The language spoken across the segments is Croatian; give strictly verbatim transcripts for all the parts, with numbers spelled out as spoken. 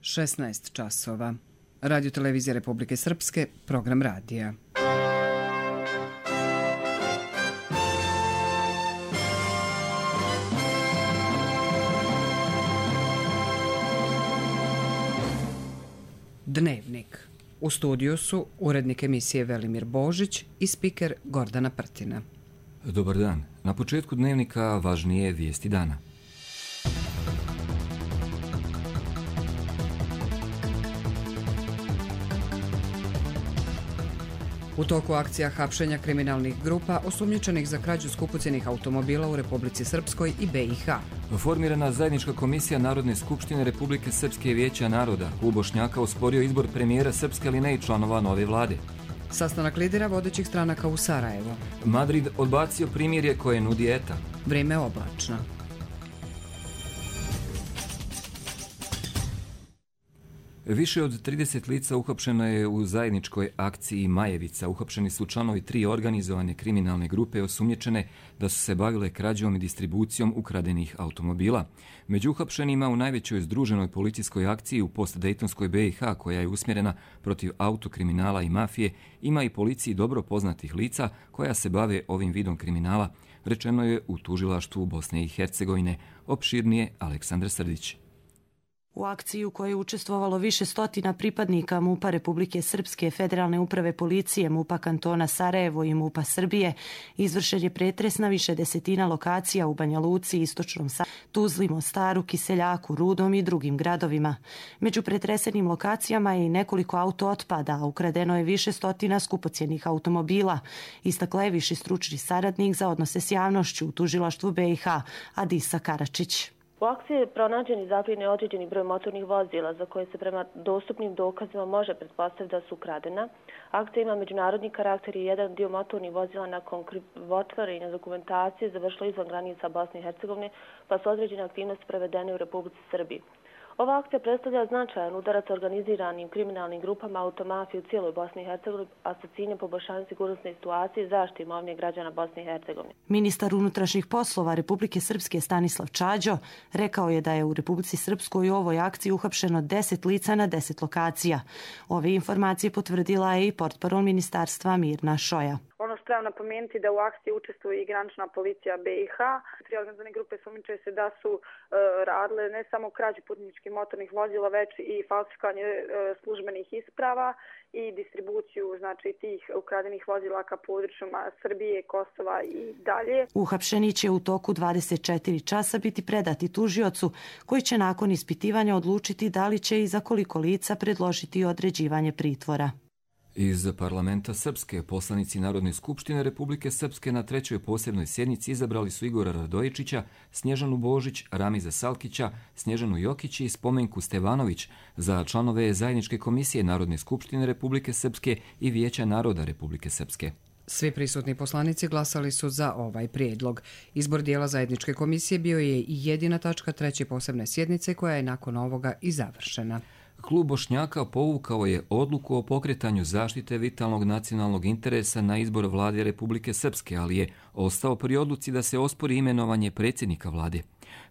šesnaest časova. Radio Televizija Republike Srpske, program radija. Dnevnik. U studiju su urednik emisije Velimir Božić i spiker Gordana Prtina. Dobar dan. Na početku dnevnika važnije vijesti dana. U toku akcija hapšenja kriminalnih grupa osumnjičenih za krađu skupocjenih automobila u Republici Srpskoj i B i H. Formirana zajednička komisija Narodne skupštine Republike Srpske i Vijeća naroda. Klub Bošnjaka osporio izbor premijera Srpske, ali ne i članova nove vlade. Sastanak lidera vodećih stranaka u Sarajevu. Madrid odbacio primirje koje nudi E T A. Vrijeme oblačno. Više od trideset lica uhapšeno je u zajedničkoj akciji Majevica. Uhapšeni su članovi tri organizovane kriminalne grupe osumnjičene da su se bavile krađom i distribucijom ukradenih automobila. Među uhapšenima u najvećoj združenoj policijskoj akciji u postdejtonskoj B i H, koja je usmjerena protiv autokriminala i mafije, ima i policiji dobro poznatih lica koja se bave ovim vidom kriminala, rečeno je u tužilaštvu Bosne i Hercegovine. Opširnije Aleksandar Srdić. U akciji u kojoj je učestvovalo više stotina pripadnika MUP-a Republike Srpske, Federalne uprave policije, MUP-a kantona Sarajevo i MUP-a Srbije, izvršen je pretres na više desetina lokacija u Banja Luci, Istočnom Sarajevu, Tuzli, Mostaru, Kiseljaku, Rudom i drugim gradovima. Među pretresenim lokacijama je i nekoliko auto otpada, a ukradeno je više stotina skupocjenih automobila, istakla je viši stručni saradnik za odnose s javnošću u tužilaštvu B i H, Adisa Karačić. U akciji je pronađen i zaplijenjen određeni broj motornih vozila za koje se prema dostupnim dokazima može pretpostaviti da su ukradena. Akcija ima međunarodni karakter i jedan dio motornih vozila nakon krivotvorenja dokumentacije završilo izvan granica Bosne i Hercegovine, pa su određene aktivnosti prevedene u Republici Srbiji. Ova akcija predstavlja značajan udarac organiziranim kriminalnim grupama automafije u cijeloj Bosni i Hercegovini, a sa ciljem poboljšanja sigurnosne situacije i zaštite imovine građana Bosne i Hercegovine. Ministar unutrašnjih poslova Republike Srpske Stanislav Čađo rekao je da je u Republici Srpskoj u ovoj akciji uhapšeno deset lica na deset lokacija. Ove informacije potvrdila je i portparol ministarstva Mirna Šoja. Ono što trebam napomenuti da u akciji učestvuje i granična policija B i H. Tri organizovane grupe sumnjiče se da su e, radile ne samo krađu putničkih motornih vozila, već i falsifikanje e, službenih isprava i distribuciju znači tih ukradenih vozila ka područjima Srbije, Kosova i dalje. Uhapšeni će u toku dvadeset četiri časa biti predati tužiocu, koji će nakon ispitivanja odlučiti da li će i za koliko lica predložiti određivanje pritvora. Iz parlamenta Srpske poslanici Narodne skupštine Republike Srpske na trećoj posebnoj sjednici izabrali su Igora Radojičića, Snježanu Božić, Ramiza Salkića, Snježanu Jokić i Spomenku Stevanović za članove zajedničke komisije Narodne skupštine Republike Srpske i Vijeća naroda Republike Srpske. Svi prisutni poslanici glasali su za ovaj prijedlog. Izbor dijela zajedničke komisije bio je i jedina tačka treće posebne sjednice koja je nakon ovoga i završena. Klub Bošnjaka povukao je odluku o pokretanju zaštite vitalnog nacionalnog interesa na izbor vlade Republike Srpske, ali je ostao pri odluci da se ospori imenovanje predsjednika vlade.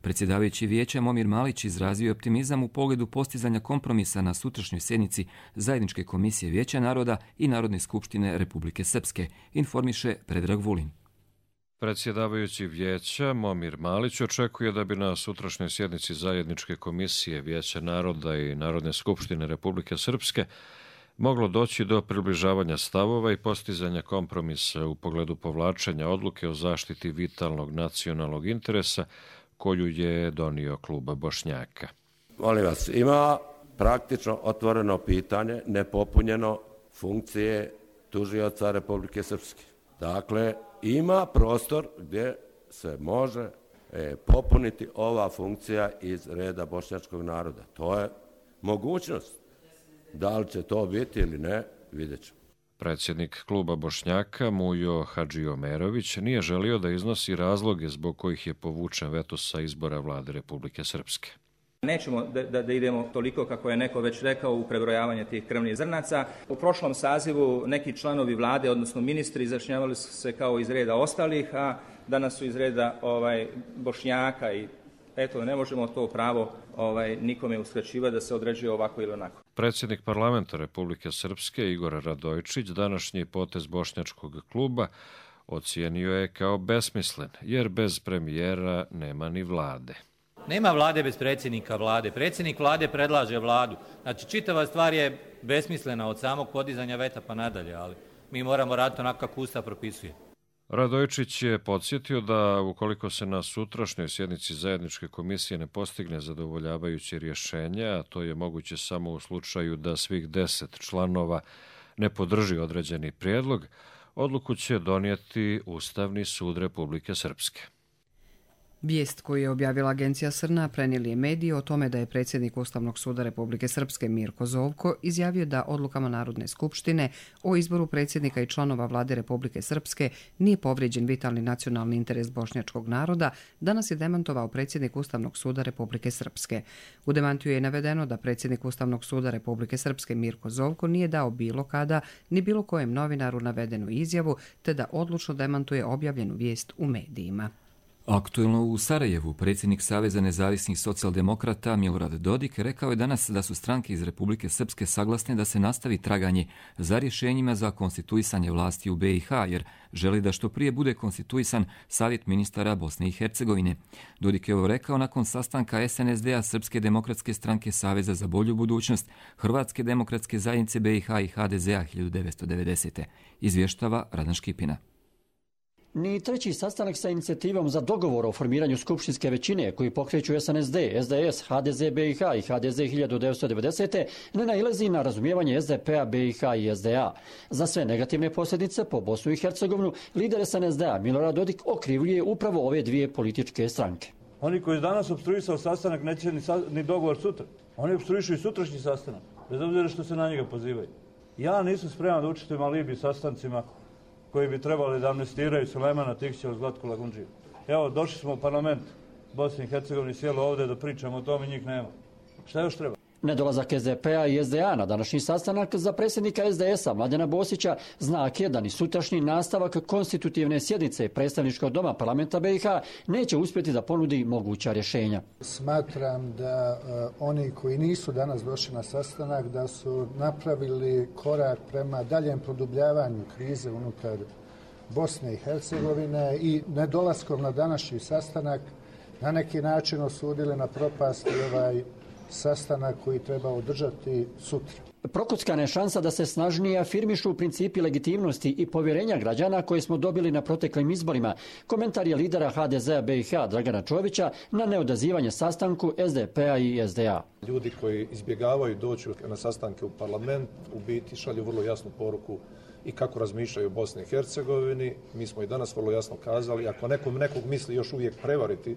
Predsjedavajući vijeća Momir Malić izrazio optimizam u pogledu postizanja kompromisa na sutrašnjoj sjednici zajedničke komisije Vijeća naroda i Narodne skupštine Republike Srpske, informiše Predrag Vulin. Predsjedavajući vijeća Momir Malić očekuje da bi na sutrašnjoj sjednici zajedničke komisije Vijeća naroda i Narodne skupštine Republike Srpske moglo doći do približavanja stavova i postizanja kompromisa u pogledu povlačenja odluke o zaštiti vitalnog nacionalnog interesa koju je donio klub Bošnjaka. Molim vas, ima praktično otvoreno pitanje, nepopunjeno funkcije tužioca Republike Srpske. Dakle, ima prostor gdje se može e, popuniti ova funkcija iz reda bošnjačkog naroda. To je mogućnost. Da li će to biti ili ne, vidjet ćemo. Predsjednik kluba Bošnjaka Mujo Hadžiomerović nije želio da iznosi razloge zbog kojih je povučen veto sa izbora vlade Republike Srpske. Nećemo da, da, da idemo toliko, kako je neko već rekao, u prebrojavanje tih krvnih zrnaca. U prošlom sazivu neki članovi vlade, odnosno ministri, izjašnjavali su se kao iz reda ostalih, a danas su iz reda ovaj, Bošnjaka i Eto, ne možemo to pravo ovaj, nikome uskraćivati da se određuje ovako ili onako. Predsjednik parlamenta Republike Srpske Igor Radojičić današnji potez bošnjačkog kluba ocijenio je kao besmislen, jer bez premijera nema ni vlade. Nema vlade bez predsjednika vlade. Predsjednik vlade predlaže vladu. Znači, čitava stvar je besmislena od samog podizanja veta pa nadalje, ali mi moramo raditi onako kako Ustav propisuje. Radojičić je podsjetio da ukoliko se na sutrašnjoj sjednici zajedničke komisije ne postigne zadovoljavajuće rješenje, a to je moguće samo u slučaju da svih deset članova ne podrži određeni prijedlog, odluku će donijeti Ustavni sud Republike Srpske. Vijest koju je objavila agencija Srna prenijeli je mediji o tome da je predsjednik Ustavnog suda Republike Srpske Mirko Zovko izjavio da odlukama Narodne skupštine o izboru predsjednika i članova vlade Republike Srpske nije povrijeđen vitalni nacionalni interes bošnjačkog naroda, danas je demantovao predsjednik Ustavnog suda Republike Srpske. U demantiju je navedeno da predsjednik Ustavnog suda Republike Srpske Mirko Zovko nije dao bilo kada ni bilo kojem novinaru navedenu izjavu, te da odlučno demantuje objavljenu vijest u medijima. Aktuelno u Sarajevu predsjednik Saveza nezavisnih socijaldemokrata Milorad Dodik rekao je danas da su stranke iz Republike Srpske saglasne da se nastavi traganje za rješenjima za konstituisanje vlasti u be i ha, jer želi da što prije bude konstituisan Savjet ministara Bosne i Hercegovine. Dodik je ovo rekao nakon sastanka es en es de a, Srpske demokratske stranke Saveza za bolju budućnost, Hrvatske demokratske zajednice be i ha i ha de ze a hiljadu devetsto devedesete. Izvještava Radan Škipina. Ni treći sastanak sa inicijativom za dogovor o formiranju skupštinske većine koji pokreću es en es de, es de es, ha de ze be i ha i ha de ze hiljadu devetsto devedesete ne nailazi na razumijevanje es de pe-a, be i ha i es de a. Za sve negativne posljedice po Bosnu i Hercegovinu lider es en es de a Milorad Dodik okrivljuje upravo ove dvije političke stranke. Oni koji danas opstruisao sastanak neće ni, sa, ni dogovor sutra. Oni opstruišu i sutrašnji sastanak, bez obzira što se na njega pozivaju. Ja nisam spreman da učestvujem alibi sastancima koji bi trebali da amnestiraju Sulejmana Tihića od Zlatku Lagundžiju. Evo, došli smo u parlament Bosne i Hercegovine, sjelo ovdje da pričamo o tome, njih nema. Šta još treba? Nedolazak es de pe-a i es de a na današnji sastanak za predsjednika es de es-a Mladena Bosića znak je da ni sutrašnji nastavak konstitutivne sjednice predstavničkog doma parlamenta be i ha neće uspjeti da ponudi moguća rješenja. Smatram da uh, oni koji nisu danas došli na sastanak da su napravili korak prema daljem produbljavanju krize unutar Bosne i Hercegovine i nedolaskom na današnji sastanak na neki način osudili na propast ovaj sastanak koji treba održati sutra. Prokockana je šansa da se snažnije afirmišu principi legitimnosti i povjerenja građana koje smo dobili na proteklim izborima. Komentar je lidera ha de ze-a be i ha Dragana Čovića na neodazivanje sastanku es de pe-a i es de a. Ljudi koji izbjegavaju doći na sastanke u parlament u biti šalju vrlo jasnu poruku i kako razmišljaju o Bosni i Hercegovini. Mi smo i danas vrlo jasno kazali, ako nekom nekog misli još uvijek prevariti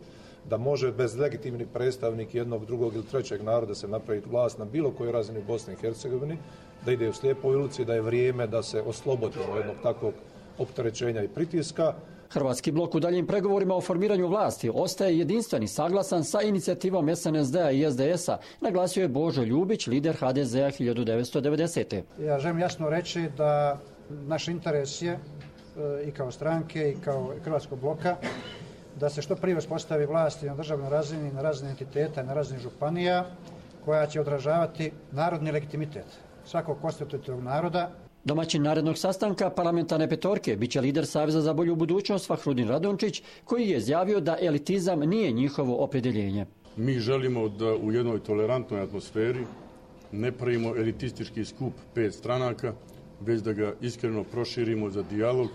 da može bez legitimni predstavnik jednog, drugog ili trećeg naroda se napraviti vlast na bilo kojoj razini u Bosni i Hercegovini, da ide u slijepoj ulici, da je vrijeme da se oslobodimo jednog takvog opterećenja i pritiska. Hrvatski blok u daljim pregovorima o formiranju vlasti ostaje jedinstven i saglasan sa inicijativom es en es de-a i es de es-a, naglasio je Božo Ljubić, lider ha de ze-a hiljadu devetsto devedesete. Ja želim jasno reći da naš interes je i kao stranke i kao Hrvatskog bloka da se što prije uspostavi vlast na državnoj razini, na razini entiteta, na razini županija, koja će odražavati narodni legitimitet svakog konstitutivnog naroda. Domaćin narednog sastanka parlamentarne petorke biće lider Saveza za bolju budućnost Fahrudin Radončić, koji je izjavio da elitizam nije njihovo opredjeljenje. Mi želimo da u jednoj tolerantnoj atmosferi ne pravimo elitistički skup pet stranaka, već da ga iskreno proširimo za dijalog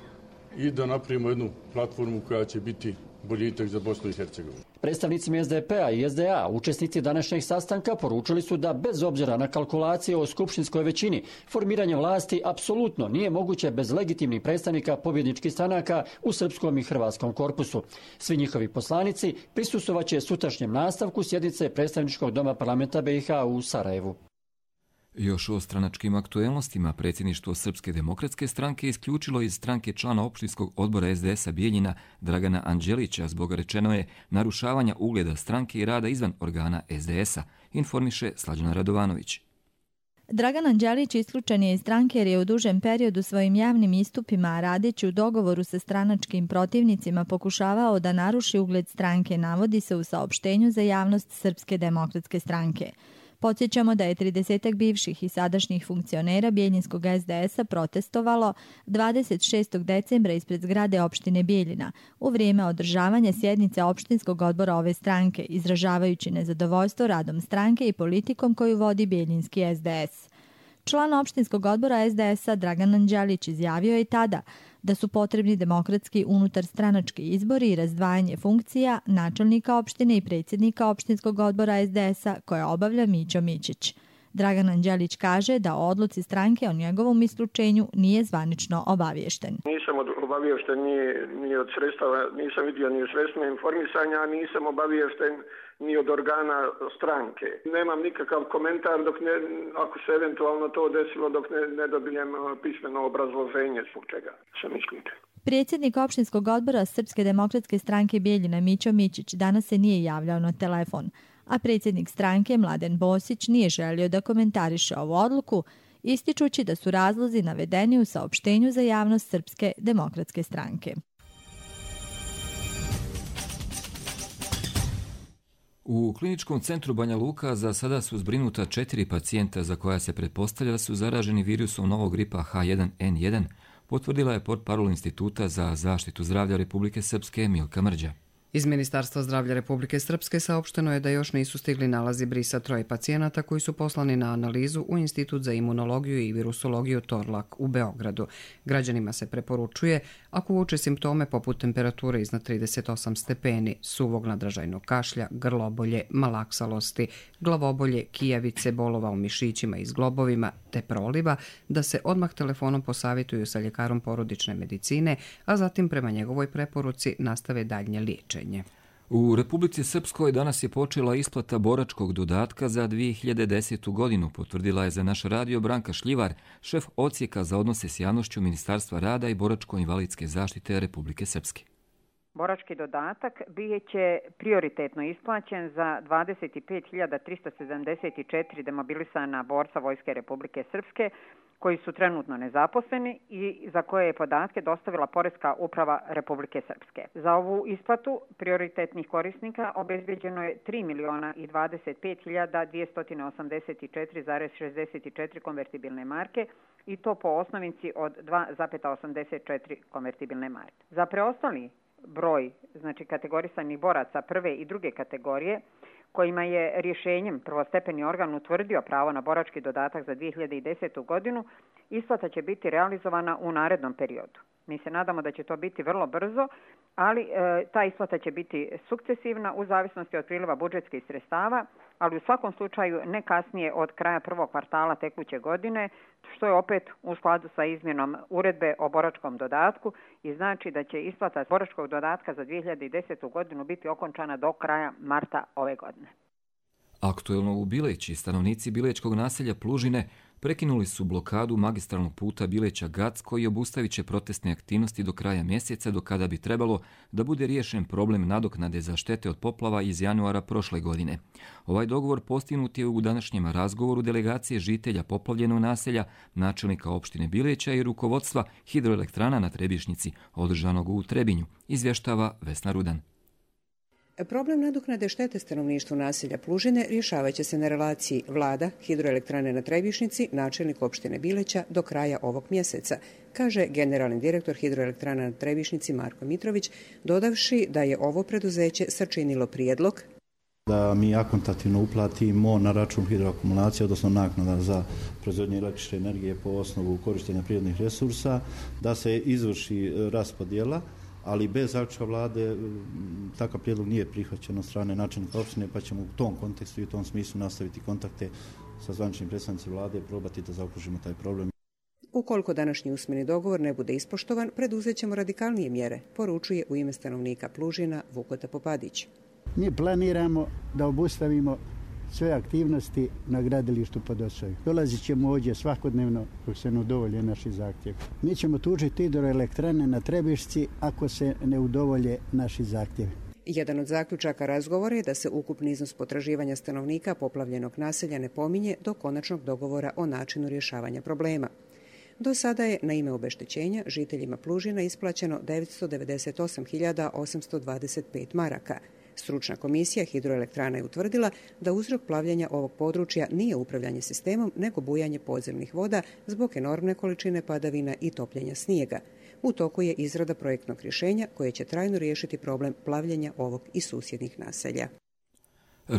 i da napravimo jednu platformu koja će biti boljitak za Bosnu i Hercegovinu. Predstavnicima es de pe-a i es de a učesnici današnjeg sastanka poručili su da bez obzira na kalkulacije o skupštinskoj većini, formiranje vlasti apsolutno nije moguće bez legitimnih predstavnika pobjedničkih stranaka u srpskom i hrvatskom korpusu. Svi njihovi poslanici prisustvovaće sutrašnjem nastavku sjednice predstavničkog doma parlamenta be i ha u Sarajevu. Još o stranačkim aktuelnostima predsjedništvo Srpske demokratske stranke isključilo iz stranke člana opštinskog odbora es de es-a Bijeljina Dragana Anđelića zbog, rečeno je, narušavanja ugleda stranke i rada izvan organa es de es-a, informiše Slađana Radovanović. Dragan Anđelić isključen je iz stranke jer je u dužem periodu svojim javnim istupima, radeći u dogovoru sa stranačkim protivnicima, pokušavao da naruši ugled stranke, navodi se u saopštenju za javnost Srpske demokratske stranke. Podsjećamo da je tridesetak bivših i sadašnjih funkcionera Bijeljinskog es de es a protestovalo dvadeset šestog decembra ispred zgrade opštine Bijeljina u vrijeme održavanja sjednice opštinskog odbora ove stranke, izražavajući nezadovoljstvo radom stranke i politikom koju vodi Bijeljinski es de es. Član opštinskog odbora es de es a Dragan Anđelić izjavio je tada da su potrebni demokratski unutar stranački izbori i razdvajanje funkcija načelnika opštine i predsjednika opštinskog odbora es de es a koje obavlja Mićo Mićić. Dragan Anđelić kaže da o odluci stranke o njegovom isključenju nije zvanično obaviješten. Nisam obaviješten ni, ni od sredstava, nisam vidio ni u sredstvima informisanja, a nisam obaviješten ni od organa stranke. Nemam nikakav komentar dok ne, ako se eventualno to desilo, dok ne, ne dobijem pismeno obrazloženje zbog čega sam isključen. Predsjednik opštinskog odbora Srpske demokratske stranke Bijeljina Mićo Mićić danas se nije javljao na telefon, a predsjednik stranke Mladen Bosić nije želio da komentariše ovu odluku, ističući da su razlozi navedeni u saopštenju za javnost Srpske demokratske stranke. U kliničkom centru Banja Luka za sada su zbrinuta četiri pacijenta za koja se pretpostavlja da su zaraženi virusom novog gripa ha jedan en jedan, potvrdila je portparol Instituta za zaštitu zdravlja Republike Srpske Milka Mrđa. Iz Ministarstva zdravlja Republike Srpske saopšteno je da još nisu stigli nalazi brisa troje pacijenata koji su poslani na analizu u Institut za imunologiju i virusologiju Torlak u Beogradu. Građanima se preporučuje, ako uoče simptome poput temperature iznad trideset osam stepeni, suvog nadražajnog kašlja, grlobolje, malaksalosti, glavobolje, kijavice, bolova u mišićima i zglobovima te proliva, da se odmah telefonom posavjetuju sa ljekarom porodične medicine, a zatim prema njegovoj preporuci nastave daljnje liječenje. U Republici Srpskoj danas je počela isplata boračkog dodatka za dvije hiljade desetu godinu, potvrdila je za naš radio Branka Šljivar, šef odsjeka za odnose s javnošću Ministarstva rada i boračko-invalidske zaštite Republike Srpske. Borački dodatak bit će prioritetno isplaćen za dvadeset pet hiljada trista sedamdeset četiri demobilisana borca Vojske Republike Srpske koji su trenutno nezaposleni i za koje je podatke dostavila Poreska uprava Republike Srpske. Za ovu isplatu prioritetnih korisnika obezbeđeno je tri miliona i dvadeset pet hiljada dvjesto osamdeset četiri zarez šezdeset četiri konvertibilne marke i to po osnovici od dva zarez osamdeset četiri konvertibilne marke. Za preostali broj, znači kategorisanih boraca prve i druge kategorije, kojima je rješenjem prvostepeni organ utvrdio pravo na borački dodatak za dvije hiljade desetu godinu, isplata će biti realizovana u narednom periodu. Mi se nadamo da će to biti vrlo brzo, ali e, ta isplata će biti sukcesivna u zavisnosti od priliva budžetskih sredstava, ali u svakom slučaju ne kasnije od kraja prvog kvartala tekuće godine, što je opet u skladu sa izmjenom uredbe o boračkom dodatku i znači da će isplata boračkog dodatka za dvije hiljade desetu godinu biti okončana do kraja marta ove godine. Aktuelno u Bileći stanovnici bilečkog naselja Plužine prekinuli su blokadu magistralnog puta Bileća-Gac koji obustavit će protestne aktivnosti do kraja mjeseca, do kada bi trebalo da bude riješen problem nadoknade za štete od poplava iz januara prošle godine. Ovaj dogovor postignut je u današnjem razgovoru delegacije žitelja poplavljenog naselja, načelnika opštine Bileća i rukovodstva hidroelektrana na Trebišnjici, održanog u Trebinju, izvještava Vesna Rudan. Problem nadoknade štete stanovništvu naselja Plužine rješavat će se na relaciji vlada, hidroelektrane na Trebišnjici, načelnik opštine Bileća do kraja ovog mjeseca, kaže generalni direktor hidroelektrana na Trebišnjici Marko Mitrović, dodavši da je ovo preduzeće sačinilo prijedlog da mi akontativno uplatimo na račun hidroakumulacije, odnosno naknada za proizvodnju električne energije po osnovu korištenja prirodnih resursa, da se izvrši raspodjela, ali bez zaključka vlade takav prijedlog nije prihvaćen od strane načelnika opštine, pa ćemo u tom kontekstu i u tom smislu nastaviti kontakte sa zvaničnim predstavnicima vlade i probati da zaokružimo taj problem. Ukoliko današnji usmeni dogovor ne bude ispoštovan, preduzet ćemo radikalnije mjere, poručuje u ime stanovnika Plužina Vukota Popadić. Mi planiramo da obustavimo sve aktivnosti na gradilištu Podosoj. Dolazit ćemo ovdje svakodnevno dok se ne udovolje naši zahtjevi. Mi ćemo tužiti hidroelektrane na Trebišci ako se ne udovolje naši zahtjevi. Jedan od zaključaka razgovora je da se ukupni iznos potraživanja stanovnika poplavljenog naselja ne pominje do konačnog dogovora o načinu rješavanja problema. Do sada je na ime obeštećenja žiteljima Plužina isplaćeno devetsto devedeset osam hiljada osamsto dvadeset pet maraka. Stručna komisija hidroelektrana je utvrdila da uzrok plavljenja ovog područja nije upravljanje sistemom, nego bujanje podzemnih voda zbog enormne količine padavina i topljenja snijega. U toku je izrada projektnog rješenja koje će trajno riješiti problem plavljenja ovog i susjednih naselja.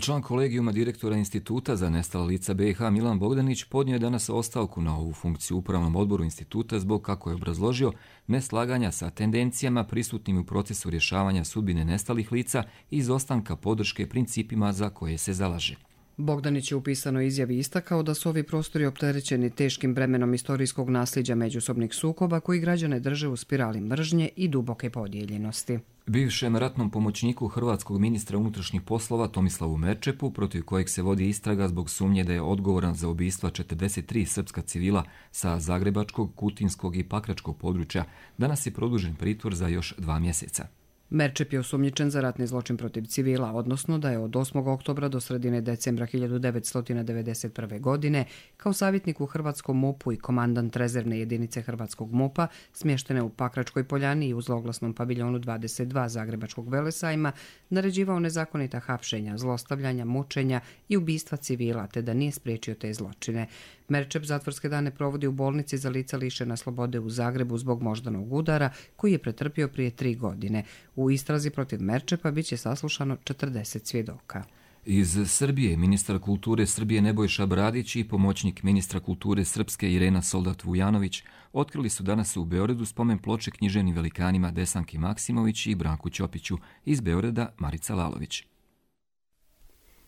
Član kolegijuma direktora Instituta za nestala lica B i H Milan Bogdanić podnio je danas ostavku na ovu funkciju u upravnom odboru instituta zbog, kako je obrazložio, neslaganja sa tendencijama prisutnim u procesu rješavanja sudbine nestalih lica i izostanka podrške principima za koje se zalaže. Bogdanić je u pisanoj izjavi istakao da su ovi prostori opterećeni teškim bremenom istorijskog nasljeđa međusobnih sukoba koji građane drže u spirali mržnje i duboke podijeljenosti. Bivšem ratnom pomoćniku hrvatskog ministra unutrašnjih poslova Tomislavu Merčepu, protiv kojeg se vodi istraga zbog sumnje da je odgovoran za ubistva četrdeset tri srpska civila sa zagrebačkog, kutinskog i pakračkog područja, danas je produžen pritvor za još dva mjeseca. Merčep je osumnjičen za ratni zločin protiv civila, odnosno da je od osmog oktobra do sredine decembra hiljadu devetsto devedeset prve. godine kao savjetnik u hrvatskom MUP-u i komandant rezervne jedinice hrvatskog MUP-a smještene u Pakračkoj poljani i u zloglasnom paviljonu dvadeset dva Zagrebačkog velesajma naređivao nezakonita hapšenja, zlostavljanja, mučenja i ubistva civila, te da nije spriječio te zločine. Merčep zatvorske dane provodi u bolnici za lica lišena slobode u Zagrebu zbog moždanog udara koji je pretrpio prije tri godine. U istrazi protiv Merčepa bit će saslušano četrdeset svjedoka. Iz Srbije ministar kulture Srbije Nebojša Bradić i pomoćnik ministra kulture Srpske Irena Soldat-Vujanović otkrili su danas u Beogradu spomen ploče književnim velikanima Desanki Maksimović i Branku Ćopiću, iz Beograda Marica Lalović.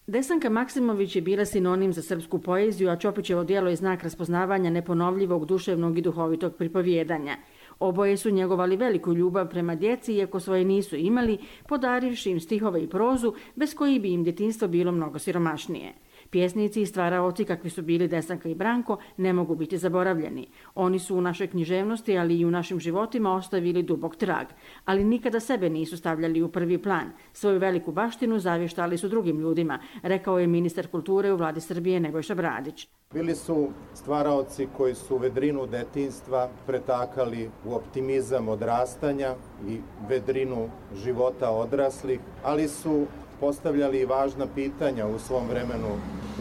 Desanka Maksimović je bila sinonim za srpsku poeziju, a Ćopićevo djelo je znak raspoznavanja neponovljivog duševnog i duhovitog pripovjedanja. Oboje su njegovali veliku ljubav prema djeci, iako svoje nisu imali, podarivši im stihove i prozu, bez koji bi im djetinjstvo bilo mnogo siromašnije. Pjesnici i stvaraoci kakvi su bili Desanka i Branko ne mogu biti zaboravljeni. Oni su u našoj književnosti, ali i u našim životima ostavili dubok trag, ali nikada sebe nisu stavljali u prvi plan. Svoju veliku baštinu zavještali su drugim ljudima, rekao je ministar kulture u vladi Srbije Nebojša Bradić. Bili su stvaraoci koji su vedrinu detinjstva pretakali u optimizam odrastanja i vedrinu života odraslih, ali su postavljali i važna pitanja u svom vremenu,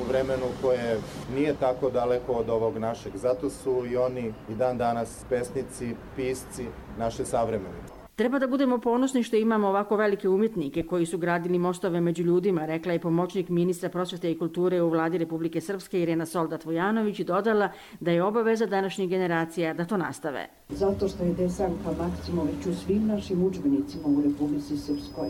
u vremenu koje nije tako daleko od ovog našeg. Zato su i oni i dan danas pesnici, pisci naše savremene. Treba da budemo ponosni što imamo ovako velike umjetnike koji su gradili mostove među ljudima, rekla je pomoćnik ministra prosvjete i kulture u vladi Republike Srpske Irena Soldat-Vujanović i dodala da je obaveza današnjih generacija da to nastave. Zato što je Desanka Maksimović u svim našim udžbenicima u Republici Srpskoj,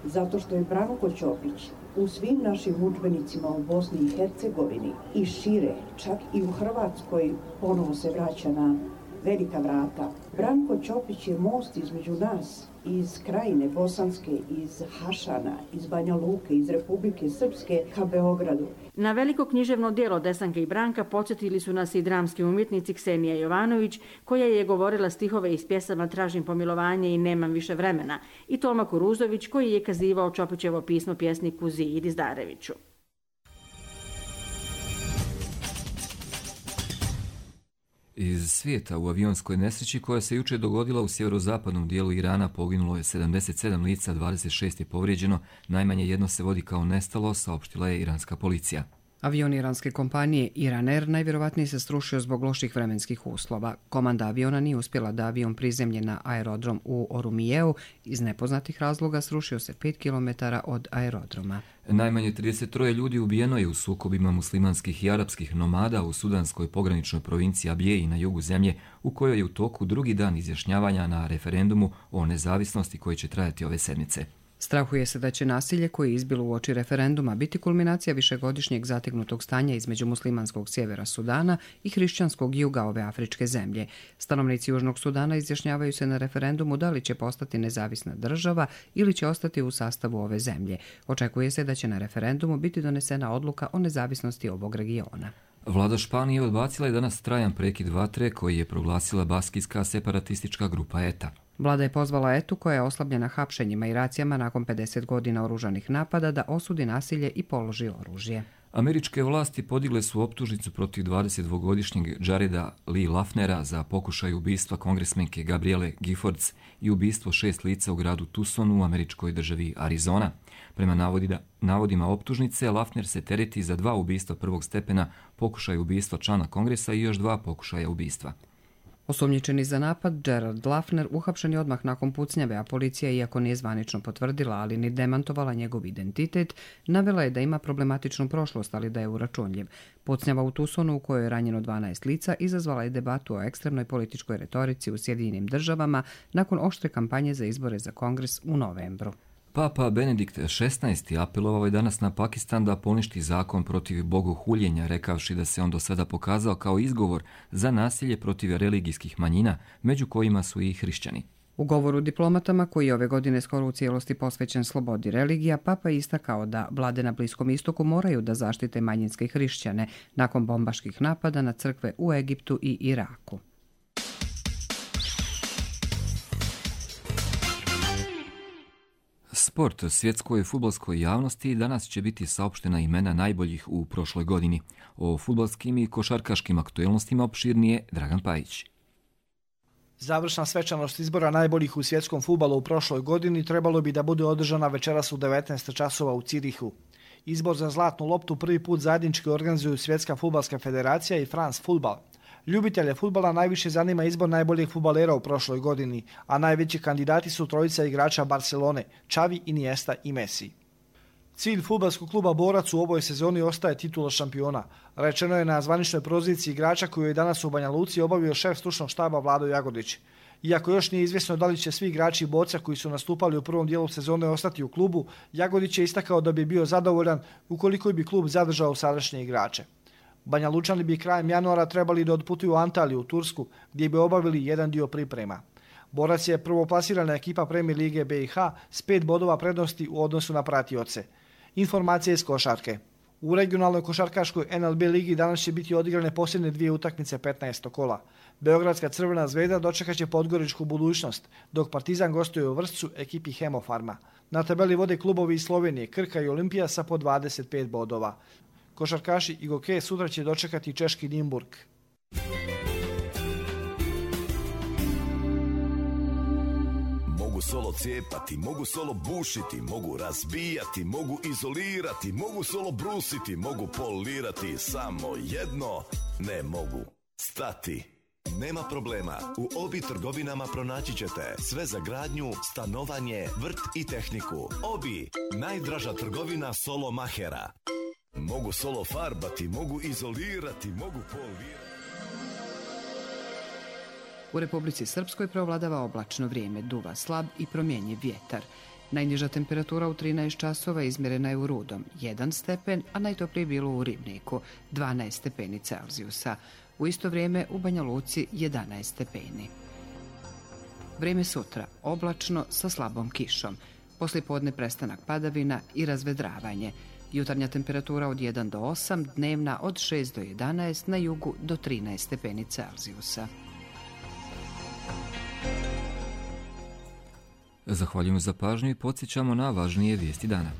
zato što je Branko Ćopić u svim našim udžbenicima u Bosni i Hercegovini i šire, čak i u Hrvatskoj ponovo se vraća na velika vrata. Branko Ćopić je most između nas, iz Krajine Bosanske, iz Hašana, iz Banja Luke, iz Republike Srpske ka Beogradu. Na veliko književno djelo Desanke i Branka podsjetili su nas i dramski umjetnici Ksenija Jovanović, koja je govorila stihove iz pjesama Tražim pomilovanje i Nemam više vremena, i Toma Kuruzović, koji je kazivao Ćopićevo pismo pjesniku Ziji Dizdareviću. Iz svijeta, u avionskoj nesreći koja se jučer dogodila u sjeverozapadnom dijelu Irana poginulo je sedamdeset sedam lica, dvadeset šest je povrijeđeno, najmanje jedno se vodi kao nestalo, saopštila je iranska policija. Avion iranske kompanije Iran Air najvjerovatnije se srušio zbog loših vremenskih uslova. Komanda aviona nije uspjela da avion prizemlje na aerodrom u Orumijeu. Iz nepoznatih razloga srušio se pet kilometara od aerodroma. Najmanje trideset tri ljudi ubijeno je u sukobima muslimanskih i arapskih nomada u sudanskoj pograničnoj provinciji Abjeji na jugu zemlje, u kojoj je u toku drugi dan izjašnjavanja na referendumu o nezavisnosti koji će trajati ove sedmice. Strahuje se da će nasilje koje je izbilo uoči referenduma biti kulminacija višegodišnjeg zategnutog stanja između muslimanskog sjevera Sudana i hrišćanskog juga ove afričke zemlje. Stanovnici Južnog Sudana izjašnjavaju se na referendumu da li će postati nezavisna država ili će ostati u sastavu ove zemlje. Očekuje se da će na referendumu biti donesena odluka o nezavisnosti ovog regiona. Vlada Španije odbacila je danas trajan prekid vatre koji je proglasila baskijska separatistička grupa E T A. Vlada je pozvala E T U, koja je oslabljena hapšenjima i racijama nakon pedeset godina oružanih napada, da osudi nasilje i položi oružje. Američke vlasti podigle su optužnicu protiv dvadesetdvogodišnjeg Jareda Lee Lafnera za pokušaj ubistva kongresmenke Gabriele Giffords i ubistvo šest lica u gradu Tucsonu u američkoj državi Arizona. Prema navodima, navodima optužnice, Lafner se tereti za dva ubistva prvog stepena, pokušaj ubistva člana kongresa i još dva pokušaja ubistva. Osumnjičeni za napad, Gerald Lafner uhapšen je odmah nakon pucnjave, a policija, iako nije zvanično potvrdila, ali ni demantovala njegov identitet, navela je da ima problematičnu prošlost, ali da je uračunljiv. Pucnjava u Tucsonu, u kojoj je ranjeno dvanaest lica, izazvala je debatu o ekstremnoj političkoj retorici u Sjedinjenim državama nakon oštre kampanje za izbore za kongres u novembru. Papa Benedikt šesnaesti apelovao je danas na Pakistan da poništi zakon protiv bogohuljenja, rekavši da se on do sada pokazao kao izgovor za nasilje protiv religijskih manjina, među kojima su i hrišćani. U govoru diplomatama, koji je ove godine skoro u cijelosti posvećen slobodi religija, Papa je istakao da vlade na Bliskom istoku moraju da zaštite manjinske hrišćane nakon bombaških napada na crkve u Egiptu i Iraku. Sport. Svjetskoj fudbalskoj javnosti danas će biti saopštena imena najboljih u prošloj godini. O fudbalskim i košarkaškim aktuelnostima opširnije Dragan Pajić. Završna svečanost izbora najboljih u svjetskom fudbalu u prošloj godini trebalo bi da bude održana večeras u devetnaest časova u Cirihu. Izbor za zlatnu loptu prvi put zajednički organizuju Svjetska fudbalska federacija i France Football. Ljubitelje fudbala najviše zanima izbor najboljih fudbalera u prošloj godini, a najveći kandidati su trojica igrača Barcelone, Xavi, Iniesta i Messi. Cilj fudbalskog kluba Borac u ovoj sezoni ostaje titula šampiona. Rečeno je na zvaničnoj proziciji igrača koju je danas u Banja Luci obavio šef stručnog štaba Vlado Jagodić. Iako još nije izvjesno da li će svi igrači Boca koji su nastupali u prvom dijelu sezone ostati u klubu, Jagodić je istakao da bi bio zadovoljan ukoliko bi klub zadržao sadašnje igrače. Banja Lučani bi krajem januara trebali da odputuju u Antaliju, u Tursku, gdje bi obavili jedan dio priprema. Borac je prvoplasirana ekipa Premier lige B i H s pet bodova prednosti u odnosu na pratioce. Informacije iz košarke. U regionalnoj košarkaškoj N L B ligi danas će biti odigrane posljednje dvije utakmice petnaestog kola. Beogradska Crvena zvezda dočekat će Podgoričku Budućnost, dok Partizan gostuje u Vršcu ekipi Hemofarma. Na tabeli vode klubovi iz Slovenije, Krka i Olimpija sa po dvadeset pet bodova. Košarkaši i Goke sutra će dočekati češki Nimburg. Mogu solo cijepati, mogu solo bušiti, mogu razbijati, mogu izolirati, mogu solo brusiti, mogu polirati, samo jedno ne mogu stati. Nema problema, u Obi trgovinama pronaći ćete sve za gradnju, stanovanje, vrt i tehniku. Obi, najdraža trgovina solo mahera. Mogu solo farbati, mogu izolirati, mogu polirati. U Republici Srpskoj preovladava oblačno vrijeme, duva slab i promjenjiv vjetar. Najniža temperatura u trinaest časova izmjerena je u Rudom, jedan stepen, a najtoplije bilo u Ribniku, dvanaest stepeni Celzijusa. U isto vrijeme u Banja Luci jedanaest stepeni. Vrijeme sutra, oblačno sa slabom kišom. Poslijepodne prestanak padavina i razvedravanje. Jutarnja temperatura od jedan do osam, dnevna od šest do jedanaest, na jugu do trinaest stepeni Celzijusa. Zahvaljujemo za pažnju i podsjećamo na važnije vijesti dana.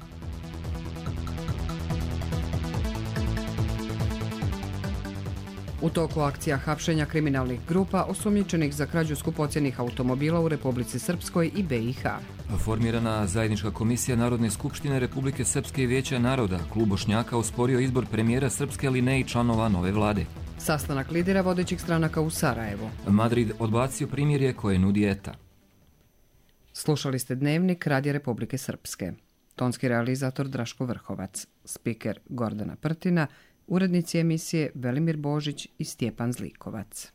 U toku akcija hapšenja kriminalnih grupa osumnjičenih za krađu skupocjenih automobila u Republici Srpskoj i B i H. Formirana zajednička komisija Narodne skupštine Republike Srpske i Vijeća naroda, klub Bošnjaka osporio izbor premijera Srpske, ali ne i članova nove vlade. Sastanak lidera vodećih stranaka u Sarajevu. Madrid odbacio primirje koje nudi E T A. Slušali ste Dnevnik Radija Republike Srpske. Tonski realizator Draško Vrhovac, spiker Gordana Prtina, urednici emisije Velimir Božić i Stjepan Zlikovac.